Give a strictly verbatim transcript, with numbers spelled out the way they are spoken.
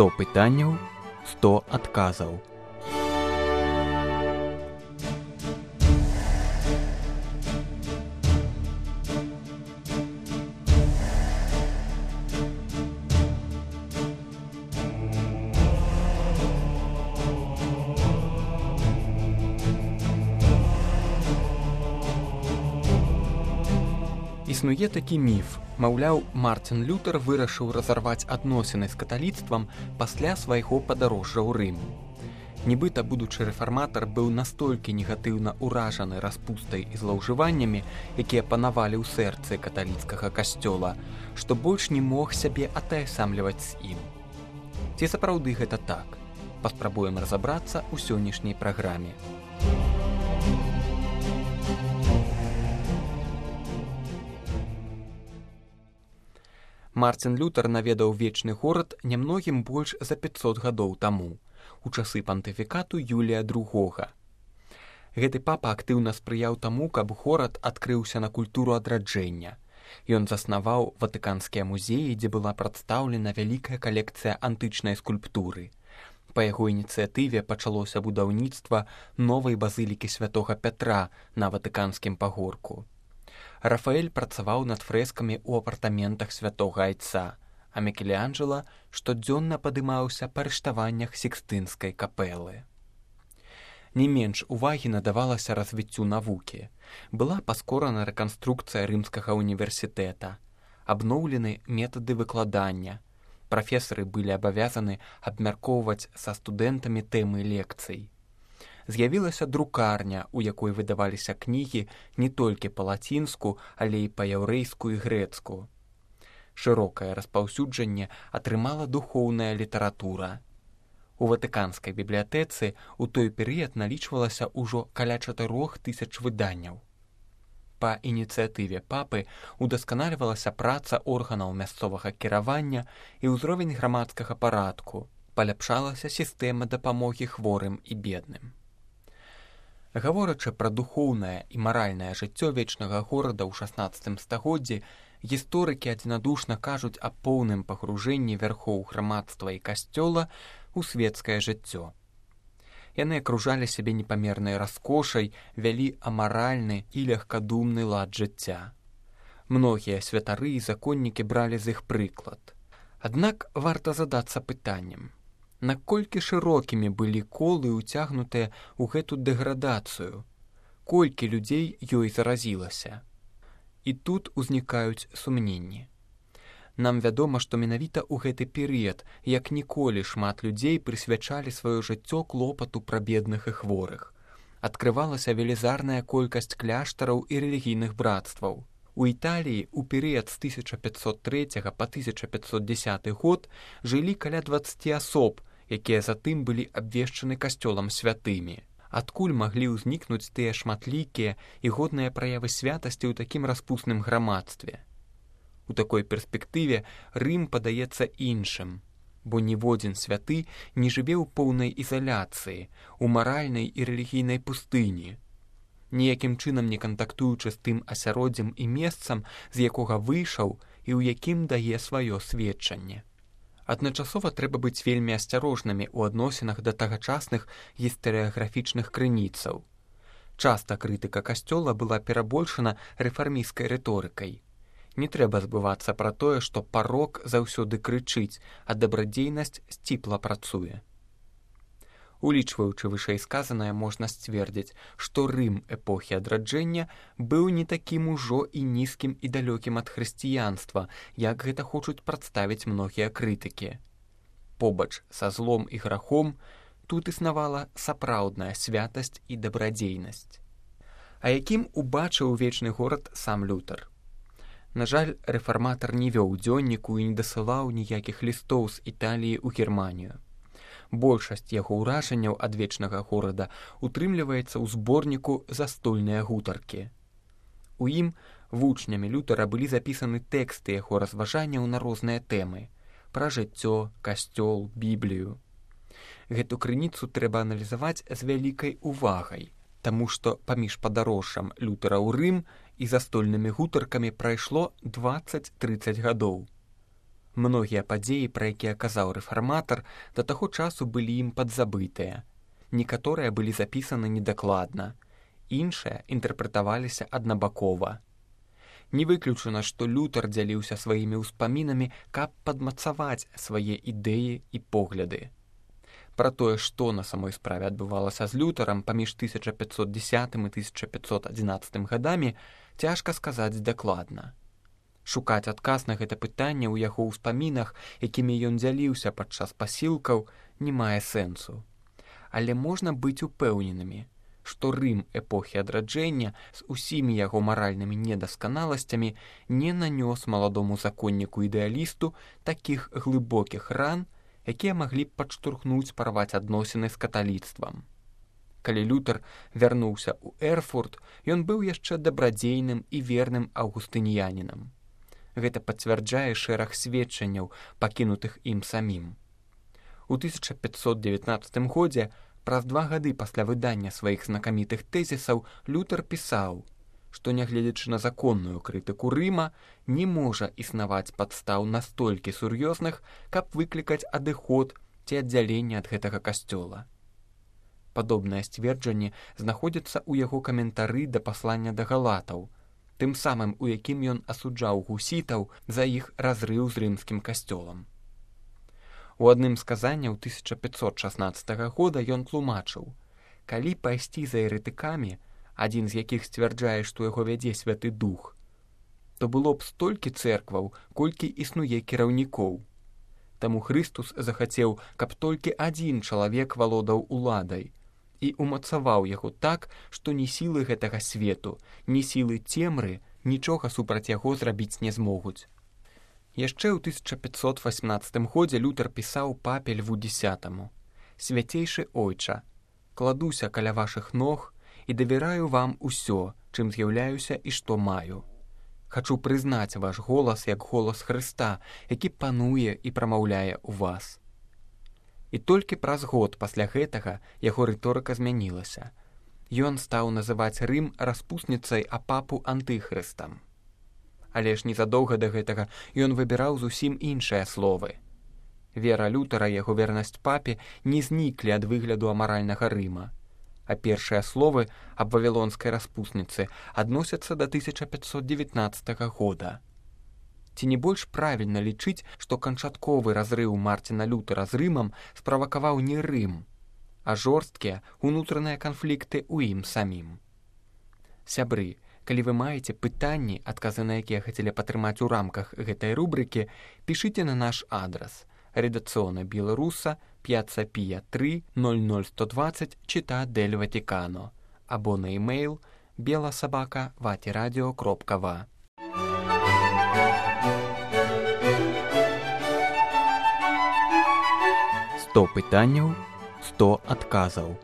сто пытанняў, сто адказаў. Існуе такі міф. Маўляў, Мартин Лютер вырашыў разарваць адносіны з каталіцтвам пасля свайго падарожжа ў Рым. Нібыта будучы рэфарматар быў настолькі негатыўна ўражаны распустай і злоўжываннямі, якія панавалі ў сэрцы каталіцкага касцёла, што больш не мог сябе атаясамліваць з ім. Ці сапраўды гэта так? Паспрабуем разабрацца ў сённяшняй праграме. Мартин Лютер наведаў вечны горад нямногім больш за пяцьсот гадоў таму, у часы пантыфікату Юлія другога. Гэты папа актыўна спрыяў таму, каб горад адкрыўся на культуру адраджэння. Ён заснаваў ватыканскія музеі, дзе была прадстаўлена вялікая калекцыя антычнай скульптуры. Па яго ініцыятыве пачалося будаўніцтва новай базылікі святога Пятра на ватыканскім пагорку. Рафаэль працаваў над фрэскамі ў апартаментах святога Айца, а Мікеланджела штодзённа падымаўся па арыштаваннях Сікстынскай капэлы. Не менш увагі надавалася развіццю навукі. Была паскорана рэканструкцыя рымскага універсітэта, абноўлены метады выкладання. Прафесары былі абавязаны абмяркоўваць са студэнтамі тэмы лекцый. З'явілася друкарня, у якой выдаваліся кнігі не толькі па-лацінску, але і па-яўрэйску і грэцку. Шырокае распаўсюджанне атрымала духоўная літаратура. У ватыканскай бібліятэцы ў той перыяд налічвалася ўжо каля чатырох тысяч выданняў. Па ініцыятыве папы удасканальвалася праца органаў мясцовага кіравання і ўзровень грамадскага парадку, паляпшалася сістэма дапамогі хворым і бедным. Гаворачы пра духоўнае і маральнае жыццё вечнага горада ў шаснаццатым стагоддзі, гісторыкі адзінадушна кажуць аб поўным пагружэнні вярхоў грамадства і касцёла ў свецкае жыццё. Яны акружалі сябе непамернай раскошай, вялі амаральны і легкадумны лад жыцця. Многія святары і законнікі бралі з іх прыклад. Аднак варта задацца пытаннем. Наколькі шырокімі былі колы, уцягнутыя ў гэту дэградацыю? Колькі людзей ёй заразілася? І тут узнікаюць сумненні. Нам вядома, што менавіта ў гэты перыяд, як ніколі шмат людзей прысвячалі сваё жыццё клопату пра бедных і хворых. Адкрывалася велізарная колькасць кляштараў і рэлігійных братстваў. У Італіі ў перыяд з тысяча пятьсот трэцяга па тысяча пятьсот дзесяты год жылі каля дваццаці асоб, якія затым былі абвешчаны касцёлам святымі. Адкуль маглі ўзнікнуць тыя шматлікія і годныя праявы святасці ў такім распусным грамадстве? У такой перспектыве Рым падаецца іншым, бо ніводзін святы не жыве ў поўнай ізаляцыі, у маральнай і рэлігійнай пустыні, ніякім чынам не кантактуючы з тым асяроддзем і месцам, з якога выйшаў і ў якім дае сваё сведчанне. Адначасова трэба быць вельмі асцярожнымі ў адносінах да тагачасных гістарыяграфічных крыніцаў. Часта крытыка касцёла была перабольшана рэфармісцкай рыторыкай. Не трэба збывацца пра тое, што парок заўсёды крычыць, а дабрадзейнасць сціпла працуе. Улічваючы вышэйсказанае, можна сцвердзіць, што Рым эпохі адраджэння быў не такім ужо і нізкім і далёкім ад хрысціянства, як гэта хочуць прадставіць многія крытыкі. Побач са злом і грахом тут існавала сапраўдная святасць і дабрадзейнасць. А якім убачыў вечны горад сам Лютер? На жаль, рэфарматар не вёў дзённіку і не дасылаў ніякіх лістоў з Італіі ў Германію. Большасць яго ўражанняў ад вечнага горада утрымліваецца ў зборніку «Застольныя гутаркі». У ім вучнямі Лютера былі запісаны тэксты яго разважанняў на розныя тэмы – пра жыццё, касцёл, Біблію. Гэту крыніцу трэба аналізаваць з вялікай увагай, таму што паміж падарожжам Лютера ў Рым і застольнымі гутаркамі прайшло дваццаць-трыццаць гадоў. Многія падзеі, пра якія казаў рэфарматар, да таго часу былі ім падзабытыя. Некаторыя былі запісаны недакладна, іншыя інтэрпрэтаваліся аднабакова. Не выключана, што Лютэр дзяліўся сваімі ўспамінамі, каб падмацаваць свае ідэі і погляды. Пра тое, што на самой справе адбывалася з Лютэрам паміж тысяча пятьсот дзесятым і тысяча пятьсот адзінаццатым гадамі, цяжка сказаць дакладна. Шукаць адказ на гэта пытанне ў яго ўспамінах, якімі ён дзяліўся падчас пасілкаў, не мае сэнсу. Але можна быць упэўненымі, што Рым эпохі адраджэння з усімі яго маральнымі недасканаласцямі не нанёс маладому законніку-ідэалісту такіх глыбокіх ран, якія маглі б падштурхнуць парваць адносіны з каталіцтвам. Калі Лютэр вярнуўся ў Эрфурт, ён быў яшчэ дабрадзейным і верным аўгустыніянінам. Гэта пацвярджае шэраг сведчанняў, пакінутых ім самім. У тысяча пятьсот дзевятнаццатым годзе, праз два гады пасля выдання сваіх знакамітых тэзісаў, Лютэр пісаў, што, нягледзячы на законную крытыку Рыма, не можа існаваць падстаў настолькі сур'ёзных, каб выклікаць адыход ці аддзяленне ад гэтага касцёла. Падобнае сцверджанне знаходзіцца ў яго каментары да паслання да галатаў, тым самым, у якім ён асуджаў гусітаў за іх разрыў з рымскім касцёлам. У адным з казанняў тысяча пятьсот шаснаццатага года ён тлумачыў, калі пайсці за еретыкамі, адзін з якіх сцвярджае, што яго вядзе святы дух, то было б столькі цэркваў, колькі існуе кіраўнікоў. Таму Хрыстус захацеў, каб толькі адзін чалавек валодаў уладай і умацаваў яго так, што ні сілы гэтага свету, ні сілы цемры нічога супраць яго зрабіць не змогуць. Яшчэ ў тысяча пятьсот васьмнаццатым годзе Лютэр пісаў папе Льву дзесятаму: «Свяцейшы ойча, кладуся каля вашых ног і давяраю вам усё, чым з'яўляюся і што маю. Хачу прызнаць ваш голас як голас Хрыста, які пануе і прамаўляе ў вас». І толькі праз год пасля гэтага яго рыторыка змянілася. Ён стаў называць Рым распусніцай, а папу антыхрыстам. Але ж незадоўга да гэтага ён выбіраў зусім іншыя словы. Вера Лютера і яго вернасць папе не зніклі ад выгляду амаральнага Рыма, а першыя словы аб вавілонскай распусніцы адносяцца да тысяча пятьсот дзевятнаццатага года. Ці не больш правільна лічыць, што канчатковы разрыў Марціна Лютера з Рымам справакаваў не Рым, а жорсткія унутраныя канфлікты ў ім самім. Сябры, калі вы маеце пытанні, адказы на якія хацелі патрымаць у рамках гэтай рубрыкі, пішыце на наш адрас редакцыона беларуса п'яцца пія тры ноль ноль сто двадцать чита дель Ватикано або на e-mail беласабака ватирадио кропка ва. сто пытанняў, сто адказаў.